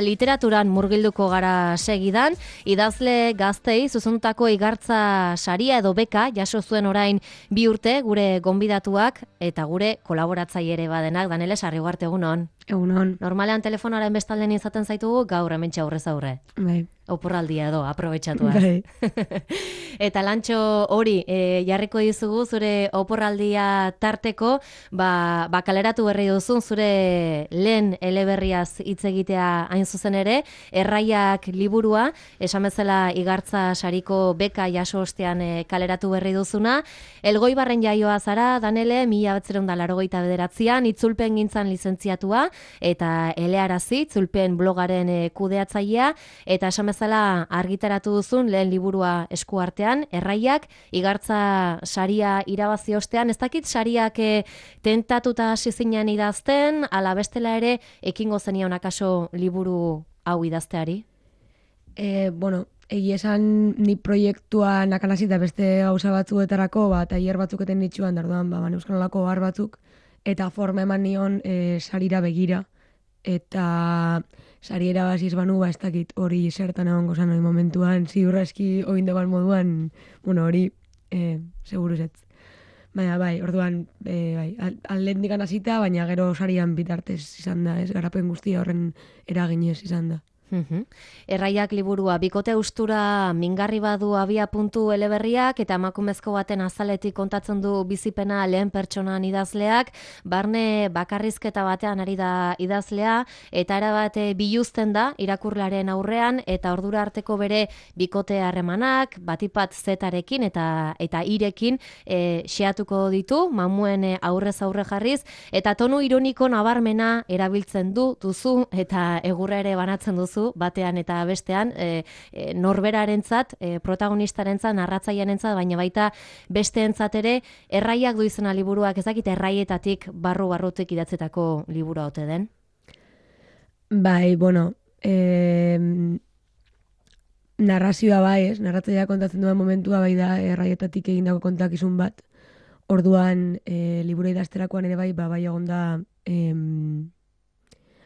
Literaturan murgilduko gara segidan, idazle gaztei zuzendutako igartza saria edo beka jaso zuen orain 2 urte gure gonbidatuak eta gure kolaboratzaile ere badenak. Daneles, Arriugarte, egunon. Egunon. Normalean telefonaren bestalden izaten zaitugu, gaur hementxe aurrez aurre. Bai. Oporraldia edo, aprobetxatuaz. Bai. Eta lantxo hori, jarriko dizugu zure oporraldia tarteko, kaleratu berri duzun zure lehen eleberriaz hitz egitea hain zuzen ere, Erraiak liburua, esan bezala igartza sariko beka jaso ostean kaleratu berri duzuna. Elgoibarren jaioa zara, Danele, 1989an, itzulpen gintzan lizentziatua, eta elearazi, itzulpen blogaren kudeatzailea, eta esan bezala argitaratu duzun lehen liburua eskuartean, Erraiak, igartza saria irabazi ostean, ez dakit sariak tentatuta hasi zinen idazten, ala bestela ere, ekingo zenion akaso liburu hau idazteari? Egia esan ni proiektua nakanazita beste gauza batzuetarako, tailer batzuk eten nitsuan, darduan, Euskalolako har batzuk, eta forma eman nion sarira begira. Eta sari erabaziz banu, ez dakit hori zertan egongo zan hori momentuan, ziurraski oindeban moduan, hori seguru ez. Baina orduan, aldendikan hasita, baina gero sarian bitartez izan da, ez garapen guztia horren eraginez izan da. Erraiak liburua, bikote ustura mingarri badu abia puntu eleberriak eta emakumezko baten azaletik kontatzen du bizipena lehen pertsonan idazleak, barne bakarrizketa batean ari da idazlea eta erabat biluzten da irakurlaren aurrean eta ordura arteko bere bikote harremanak, batipat zetarekin eta irekin xeatuko ditu, mamuen aurrez aurre jarriz, eta tonu ironiko nabarmena erabiltzen duzu eta egurra ere banatzen duzu batean eta bestean, norberarentzat, protagonistarentzat, narratzailearentzat, baina baita besteentzat ere, Erraiak du izena liburuak, ez dakit erraietatik barrutik idatzetako liburua ote den? Narrazioa narratzailea kontatzen duen momentua da erraietatik egindako kontakizun bat. Orduan, liburu idazterakoan ere bai egon da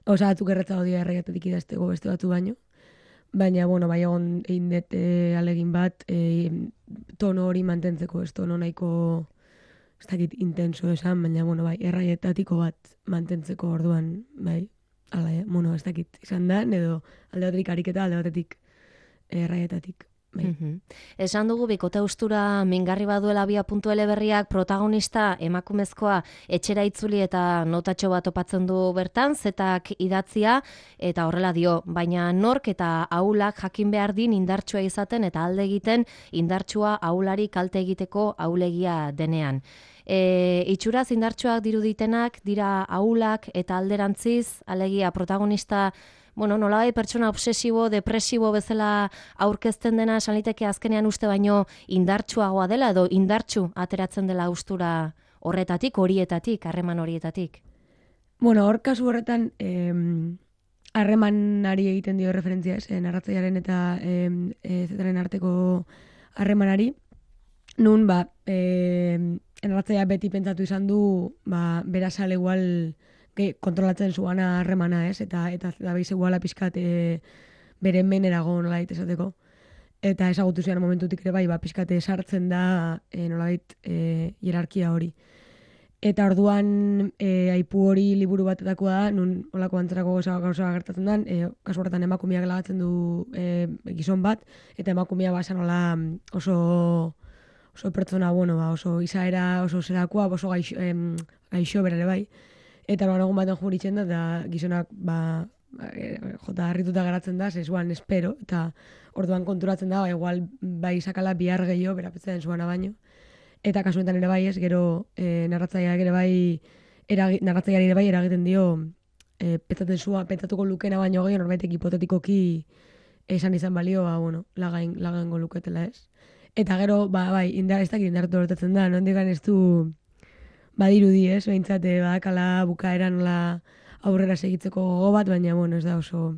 batzuk erretza dio erraietatik idazteko beste batu baino. Baina, egon egin dut alegin bat, tono hori mantentzeko, ez tono nahiko, ez dakit intenso esan, baina, erraietatiko bat mantentzeko orduan, ez dakit izan da, edo alde batetik ariketa, alde batetik erraietatik. Esan dugu bikote ustura mingarri baduela abia puntu eleberriak protagonista emakumezkoa etxera itzuli eta notatxo bat topatzen du bertan, zetak idatzia eta horrela dio, baina nork eta ahulak jakin behar din indartsua izaten eta alde egiten indartsua ahulari kalte egiteko ahulegia denean. Itxuraz indartsuak diruditenak dira ahulak eta alderantziz, alegia protagonista nolabai pertsona obsesibo, depresibo bezala aurkezten dena esan liteke azkenean uste baino indartsuagoa dela edo indartsu ateratzen dela ustura horretatik, horietatik, harreman horietatik? Hor kasu horretan harremanari egiten dio referentzia, narratzailearen eta zetaren arteko harremanari. Nun, narratzailea beti pentsatu izan du, berazal igual kontrolatzen zuana harremana, eta behiz eguala pixkat beren menerago nolait esateko. Eta ezagutu zian momentutik ere pixkate sartzen da nolait hierarkia hori. Eta orduan aipu hori liburu batetakoa da, nun olako antzerako gauza gertatzen den, kasu horretan emakumeak lagatzen du gizon bat, eta emakumea basan oso pertsona, oso izaera, oso zerakoa, oso gaixo berare bai. Eta egun baten juritzen da, eta gizonak jota harrituta geratzen da, zezuan espero, eta orduan konturatzen da, igual bai sakala bihar gehiago, berapetzen zuana baino. Eta kasuetan ere bai ez, gero narratzaileak ere bai eragiten dio, pentsatuko lukena baino gehiago, norbaitek hipotetikoki esan izan balio, lagaingo luketela ez. Eta gero, ez dakit indartu horretatzen da, nondikan ez du badirudi ez, behintzate badakala bukaeran aurrera segitzeko gogo bat, baina ez da oso,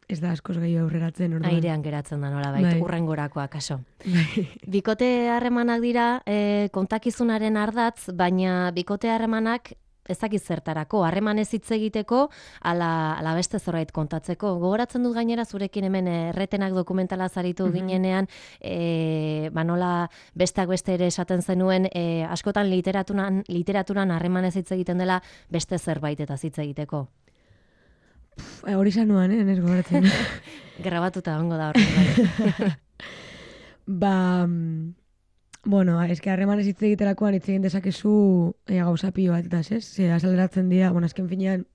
ez da askoz gehiago aurreratzen. Airean geratzen da nolabait, urrengorakoa kaso. Bikote harremanak dira kontakizunaren ardatz, baina bikote harremanak ezakit zertarako, harremanez hitz egiteko, ala beste zerbait kontatzeko. Gogoratzen dut gainera zurekin hemen erretenak dokumentala zaritu ginenean, nola besteak beste ere esaten zenuen, askotan literaturan harremanez hitz egiten dela beste zerbait eta hitz egiteko. Hori sanuan, nes gogoratzen. Grabatuta ongo da horren. Bueno, eske harremanez hitz egiterakoan hitz egin dezakezu gauza pilo bat, eta azaleratzen dira, azken finean,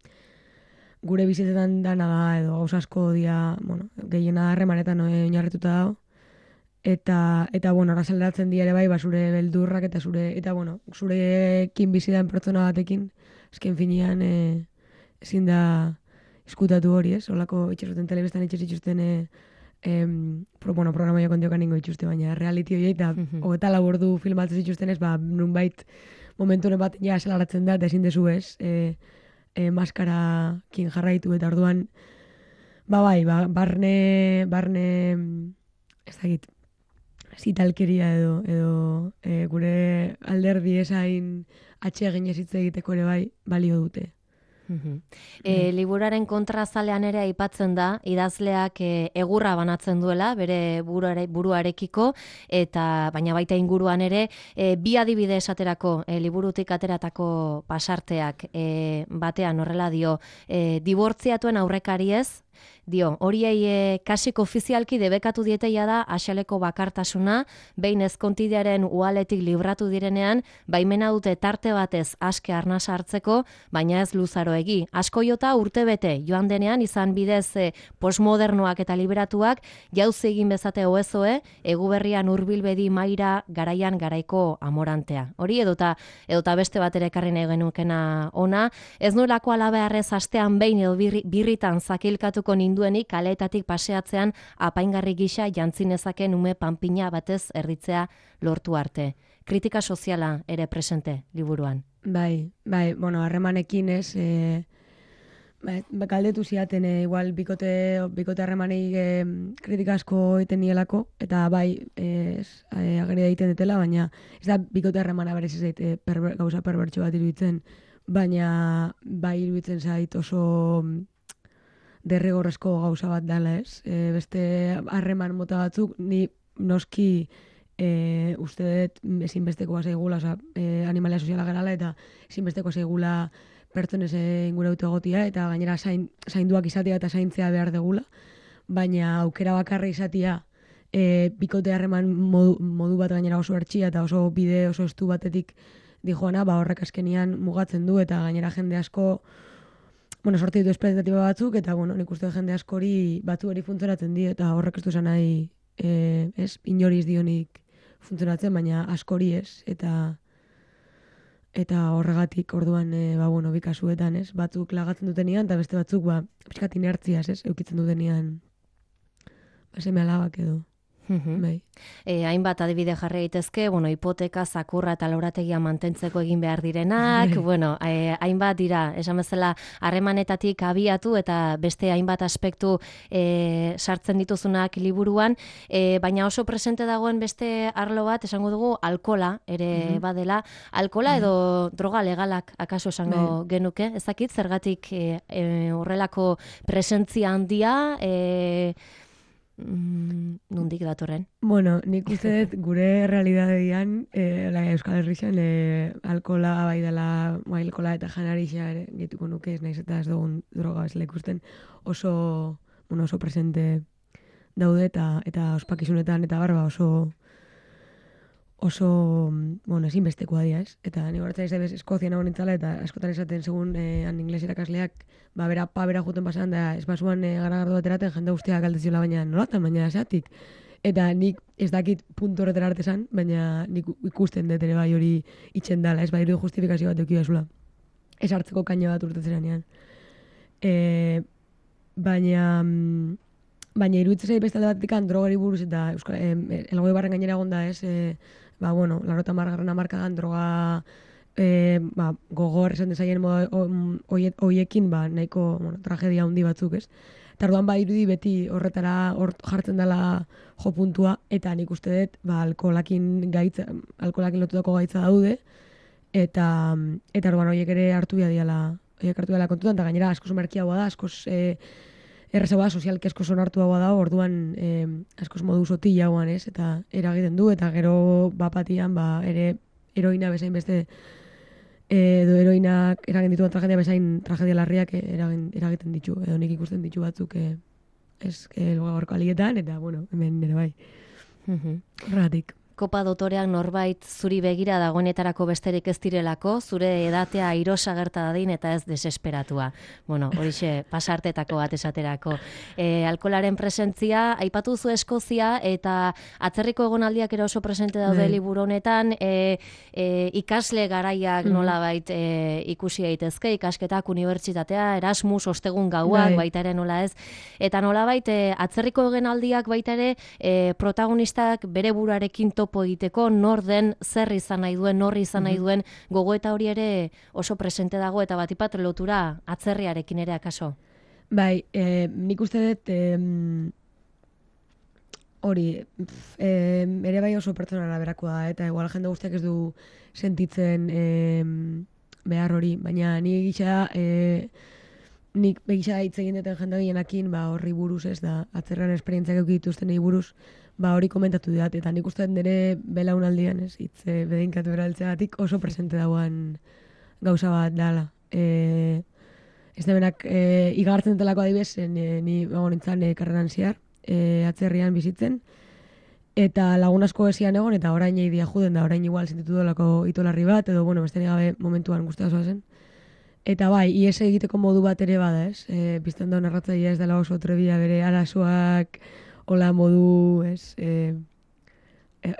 gure bizitzetan dana da, edo gauza asko dira, gehiena harremanetan oinarrituta dago, eta azaleratzen dira ere bai, zure beldurrak, eta zurekin bizidan pertsona batekin, azken finean, ezin da eskutatu hori, ez? Olako itxasuten telebestan itxasituzten programaia kontiokan ningo itxuste, baina reality hori eta hogeta labordu filmatzen zituzten ez, nunbait momentu honen bat ja esalaratzen da, eta ezin dezu ez, maskarakin jarraitu, eta orduan, barne, ez dakit, zitalkeria edo gure alderdi esain atxegin ez hitz egiteko ere bai, balio dute. Liburaren kontrazalean ere aipatzen da, idazleak egurra banatzen duela, bere buruarekiko, eta baina baita inguruan ere, bi adibide esaterako, liburutik ateratako pasarteak batean horrela dio, dibortziatuen aurrekariez, dio, horiei kasik ofizialki debekatu dieteia da axaleko bakartasuna, behin ezkontidearen ualetik libratu direnean, baimena dute tarte batez aske arnasa hartzeko, baina ez luzaroegi. Asko jota urtebete joan denean izan bidez postmodernoak eta liberatuak, jauzi egin bezate oezoe, eguberrian hurbilbedi maira garaian garaiko amorantea. Hori edota beste bat ere ekarri nahi genukena ona, ez nuelako alabearrez astean behin edo birritan zakilkatuko ninduenik kaleetatik paseatzean apaingarri gisa jantzinezaken ume panpina batez erditzea lortu arte. Kritika soziala ere presente liburuan. Bai, harremanekin ez, galdetu ziaten, igual bikote harremanei kritika asko egiten nielako, eta ageri egiten detela, baina ez da bikote harremana berez ez gauza perbertxo bat iruditzen, baina bai iruditzen zait oso derrigorrezko gauza bat dela, ez? Beste harreman mota batzuk, ni noski uste dut ezinbesteko zaigula, animalia soziala garala, eta ezinbesteko zaigula pertsonez ingurautu egotia, eta gainera zainduak izatea eta zaintzea behar degula, baina aukera bakarra izatea bikote harreman modu bat gainera oso ertxia eta oso bide oso estu batetik dijoana, horrek azkenian mugatzen du, eta gainera jende asko sortu ditu espetatiba batzuk, eta nik uste jende askori batzu hori funtzionatzen di, eta horrek ez du esan nahi inoriz dionik funtzionatzen, baina askori ez, eta horregatik orduan bi kasuetan, ez, batzuk lagatzen dutenian, eta beste batzuk pixkat inertziaz, ez, eukitzen dutenian seme alabak edo. Hainbat adibide jarri daitezke, hipoteka, zakurra eta laurategia mantentzeko egin behar direnak, hainbat dira, esan bezala harremanetatik abiatu eta beste hainbat aspektu sartzen dituzunak liburuan, baina oso presente dagoen beste arlo bat, esango dugu, alkola ere badela, alkola edo droga legalak akaso esango genuke, ezakit, zergatik horrelako presentzia handia, nondik datorren? Nik uste dut gure realidadean Euskal Herrixan alkola bai dela, alkola eta janarixa gehituko nuke, ez naiz eta ez dugun droga ez ikusten oso presente daude eta ospakizunetan eta barba oso ezinbestekoa dira, ez? Eta ni horatzen izabez Eskozia nago nintzala, eta askotan esaten segun ingles irakasleak, bera juten pasan, da ez basuan garagardo bateraten jende guztiak galdeziola, baina nolatan, baina esatik. Eta nik ez dakit puntu horretara artesan, baina nik ikusten dut ere bai hori itxen dala, ez bai justifikazio bat eukio ezula. Ez hartzeko kaino bat urtetzeranean. Baina iruditzen zait beste alde batetik drogari buruz, eta elgoi barren gainera egonda, ez, larrota margarren amarkadan droga gogor esan dezaien hoiekin nahiko tragedia handi batzuk, ez? Eta orduan irudi beti horretara jartzen dela jo puntua, eta nik uste dut alkoholakin lotutako gaitza daude, eta orduan horiek ere hartu diala kontutan, eta gainera askoz merkiagoa da, askoz errezagoa da, sozialki askoz onartuagoa da, orduan askoz modu sotilagoan, ez, eta eragiten du, eta gero bapatian, ere heroina bezain beste, edo heroinak eragin dituen tragedia bezain tragedia larriak eragiten ditu, edo nik ikusten ditu batzuk, ez, gaurko alietan, eta, bueno, hemen nire bai. Horregatik. Kopa dotoreak norbait zuri begira dagoenetarako besterik ez direlako, zure edatea airosa gerta dadin eta ez desesperatua. Bueno, horixe pasartetako bat esaterako. Alkolaren presentzia, aipatu zu Eskozia eta atzerriko egonaldiak ere oso presente daude liburu honetan, ikasle garaiak nolabait ikusi daitezke, ikasketak, unibertsitatea, Erasmus, ostegun gauak, baita ere nola ez, eta nolabait atzerriko egonaldiak baita ere protagonistak bere buruarekin topo egiteko, nor den, zer izan nahi duen, nor izan nahi duen, gogoeta hori ere oso presente dago eta batipat lotura atzerriarekin ere akaso. Bai, nik uste dut hori, ere bai oso pertsonara berakoa da, eta igual jende guztiak ez du sentitzen behar hori, baina nik gisa nik begisa hitz egin duten jende gehienakin horri buruz, ez da, atzerran esperientziak eukituzten egin buruz, hori komentatu dut, eta nik uste nire belaunaldian, ez, hitz bedeinkatu eraltzeagatik oso presente dagoen gauza bat dala. Ez da benak igartzen dutelako adibes, ni nintzen karreran ziar, atzerrian bizitzen, eta lagun asko esian egon, eta orain eidia juden da, orain igual sentitu dolako itolarri bat, edo, bueno, beste gabe momentuan guztia zoa zen. Eta bai, ies egiteko modu bat ere bada, ez? Bizten da narratzailea ez dela oso trebia bere arazoak, hola modu, ez,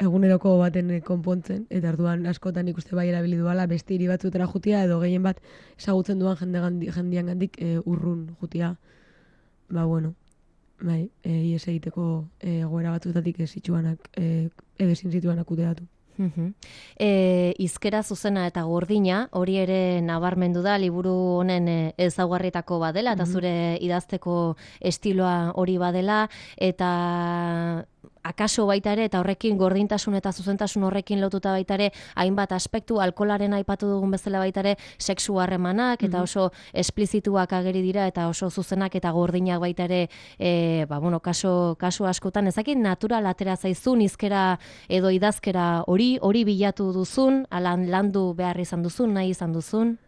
eguneroko baten konpontzen, eta orduan askotan ikuste bai erabili duala beste hiri batzutera jutia, edo gehien bat ezagutzen duan jendian gandik urrun jutia. Bueno, bai, ies egiteko egoera batzutatik ez zituanak, edezin zituanak uteatu. Hizkera zuzena eta gordina, hori ere nabarmendu da, liburu honen ezaugarrietako badela, eta zure idazteko estiloa hori badela, eta akaso baita ere, eta horrekin gordintasun eta zuzentasun horrekin lotuta baita ere, hainbat aspektu, alkolaren aipatu dugun bezala baita ere, sexu harremanak, eta oso esplizituak ageri dira, eta oso zuzenak eta gordinak baita ere, kasu askotan, ezakit natural atera zaizun, hizkera edo idazkera hori bilatu duzun, alan landu behar izan duzun, nahi izan duzun?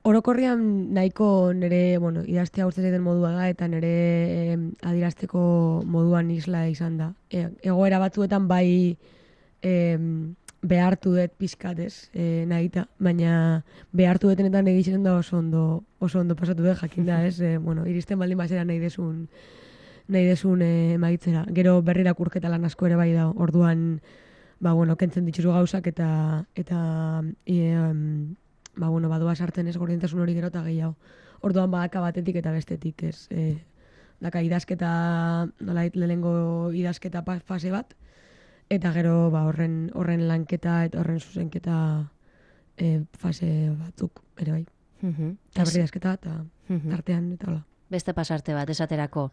Orokorrian nahiko nire, idaztea urtzen den modua da, eta nire adirazteko moduan isla izan da. Egoera batzuetan bai behartu dut pizkatez nahita, baina behartu dutenetan egiten da oso ondo pasatu dut jakin da, ez? Iristen baldin bazera nahi desun emaitzera. Gero berri irakurketa lan asko ere bai da, orduan kentzen dituzu gauzak eta badoa sartzen ez gordintasun hori gero eta gehiago. Orduan badaka batetik eta bestetik, ez. Daka idazketa, nolait lehenengo idazketa fase bat, eta gero horren lanketa eta horren zuzenketa fase batzuk, ere bai. Eta berri idazketa eta artean eta hola. Beste pasarte bat, esaterako.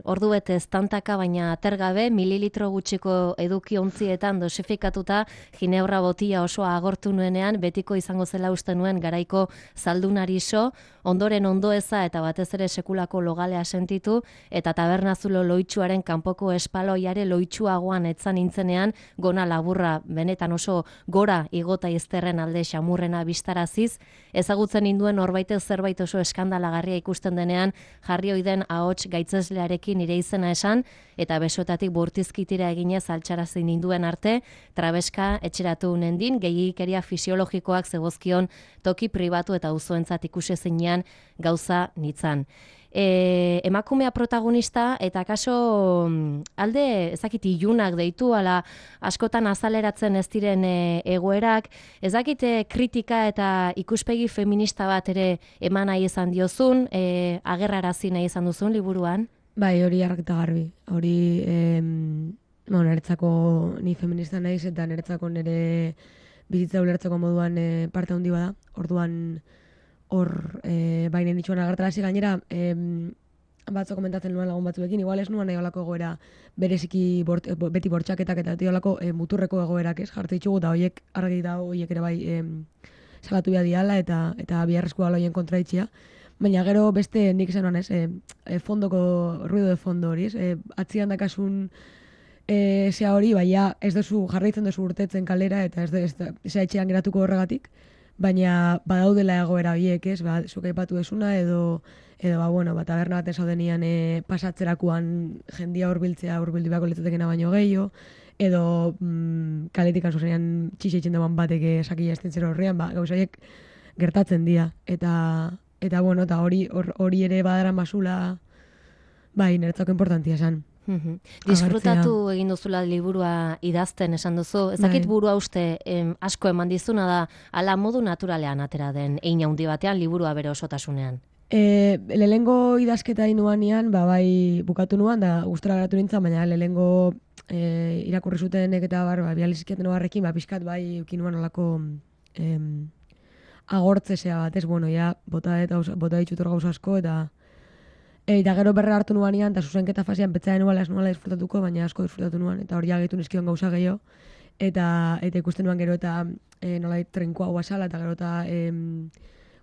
Ordu bete estantaka, baina atergabe, mililitro gutxiko eduki ontzietan dosifikatuta, ginebra botila osoa agortu nuenean, betiko izango zela uste nuen garaiko zaldunari so, ondoren ondoeza eta batez ere sekulako logalea sentitu, eta tabernazulo loitsuaren kanpoko espaloiare loitsuagoan etzan nintzenean, gona laburra benetan oso gora igota izterren alde xamurrena bistaraziz, ezagutzen ninduen horbaitez zerbait oso eskandalagarria ikusten denean, jarri oiden ahots gaitzeslearekin nire izena esan, eta besoetatik bortizkitira eginez altxarazi ninduen arte, trabeska etxeratu nendin, gehiagikeria fisiologikoak zegozkion toki pribatu eta uzoentzat ikusi zinean gauza nitzan. Emakumea protagonista eta kaso alde ezakit ilunak deitu, ala askotan azaleratzen ez diren egoerak, ezakite kritika eta ikuspegi feminista bat ere eman nahi izan diozun, agerrarazi nahi izan duzun liburuan? Bai, hori argita garbi. Hori, niretzako ni feminista naiz eta niretzako nire bizitza ulertzeko moduan parte handi bada. Orduan hor bainen dituan agertarazi gainera, batzo komentatzen nuen lagun batzuekin, igual ez nuen eolako egoera bereziki beti bortxaketak eta eolako muturreko egoerak ez jartzen ditugu, eta horiek argi da horiek ere bai salatu behar diala eta biharrezko aloien kontraitxia. Baina gero beste nik esan ez, fondoko, ruido de fondo hori, atzian dakasun zea hori, baina ez duzu jarraitzen duzu urtetzen kalera, eta ez zea etxean geratuko horregatik, baina badaudela egoera horiek, ez, zuk aipatu desuna, edo taberna baten zaudenian pasatzerakoan jendia hurbildu beharko litzatekena baino gehiago, edo kaletikan zuzenean txixeitzen dagoen batek sakila esten zero horrean, gauza horiek gertatzen dira, eta hori ere badaran basula, niretzako importantia esan. Disfrutatu egin duzula liburua idazten esan duzu. Ezakit burua uste asko eman dizuna da, ala modu naturalean atera den hein handi batean liburua bere osotasunean. Lehengo idazketa inuanean, bukatu nuan, da gustora geratu nintzen, baina lehengo irakurri zutenek eta bializkiaten obarrekin, pixkat eukin nuan olako agortzesea bat, ez, bota ditzutor gauza asko, eta gero berra hartu nuanean, eta zuzenketa fasean petzaren nuala ez nuala disfrutatuko, baina asko disfrutatu nuan, eta hori agetu nizkion gauza gehiago, eta ikusten nuan gero eta nola trenkoa guazala, eta gero eta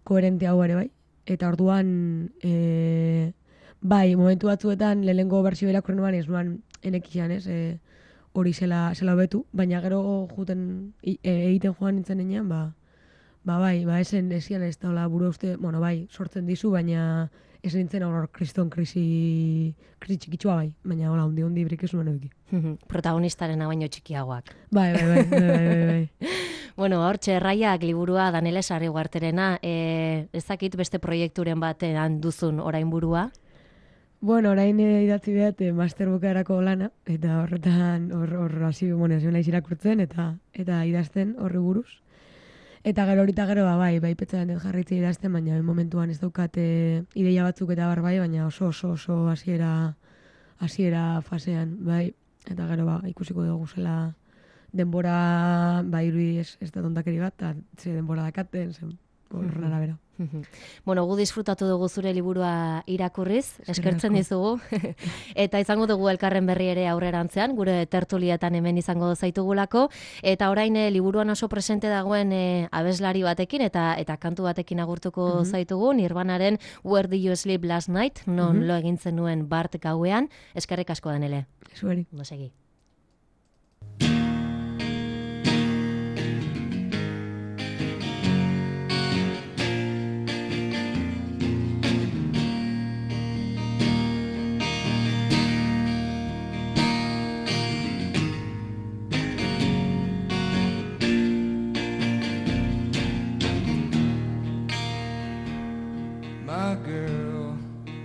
koherente hau ere bai. Eta orduan, momentu batzuetan, lehenengo berzio irakurri nuan, ez nuan enekian, ez, hori zela hobetu, baina gero egiten joan nintzen enean, esen esian ez da buru uste, sortzen dizu, baina ez nintzen hor kriston krisi txikitsua baina hola, hundi brik ez nuen eduki. Protagonistaren baino txikiagoak. Bai. Bueno, hortxe, Erraiak liburua Danele Sarriguarterena, ezakit beste proiekturen batean duzun orain burua? Bueno, orain idatzi behat master bukaerako lana, eta horretan hor hasi naiz irakurtzen eta idazten horri buruz. Eta gero petzaren dut jarritzea idazten, baina momentuan ez daukat ideia batzuk eta baina oso hasiera fasean, eta gero ikusiko dugu zela denbora, irudi ez da tontakeri bat, eta ze denbora dakaten, horren arabera. Bueno, gu disfrutatu dugu zure liburua irakurriz, eskertzen dizugu, eta izango dugu elkarren berri ere aurrerantzean, gure tertulietan hemen izango zaitugulako, eta orain liburuan oso presente dagoen abeslari batekin eta kantu batekin agurtuko zaitugu, Nirvanaren Where Did You Sleep Last Night, non lo egintzen nuen bart gauean, eskerrik asko Danele. Zueri. No segi.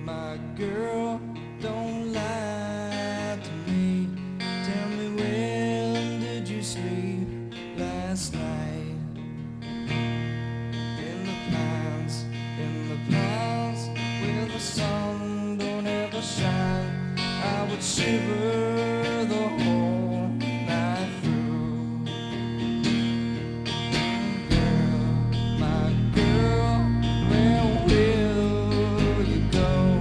My girl, don't lie to me. Tell me, when did you sleep last night? In the pines, where the sun don't ever shine, I would shiver the whole night through. Girl, my girl, where will you go?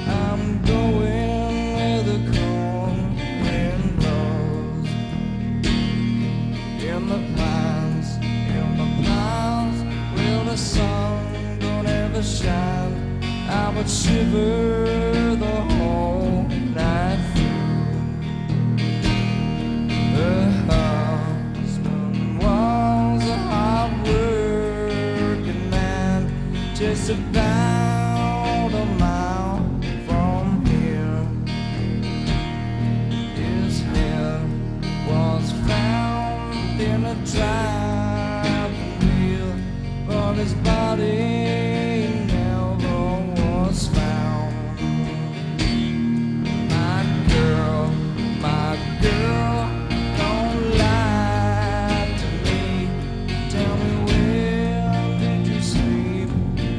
I'm going where the cold wind blows. In the pines, where the sun don't ever shine, I would shiver the whole night through. Her husband was a hard-working man, just about a mile from here. His head was found in a driving wheel, but his body never was found. My girl, don't lie to me. Tell me, where did you sleep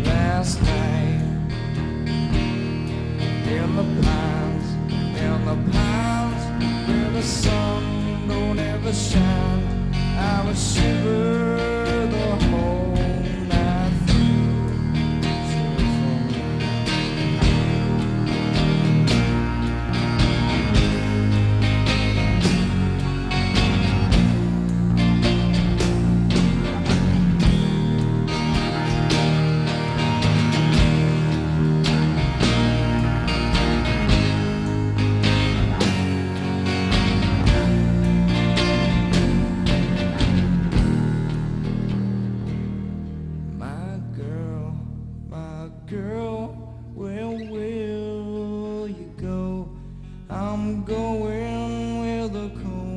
last night? In the pines, where the sun don't ever shine, I would shiver the whole night through. girl, where will you go? I'm going where the cold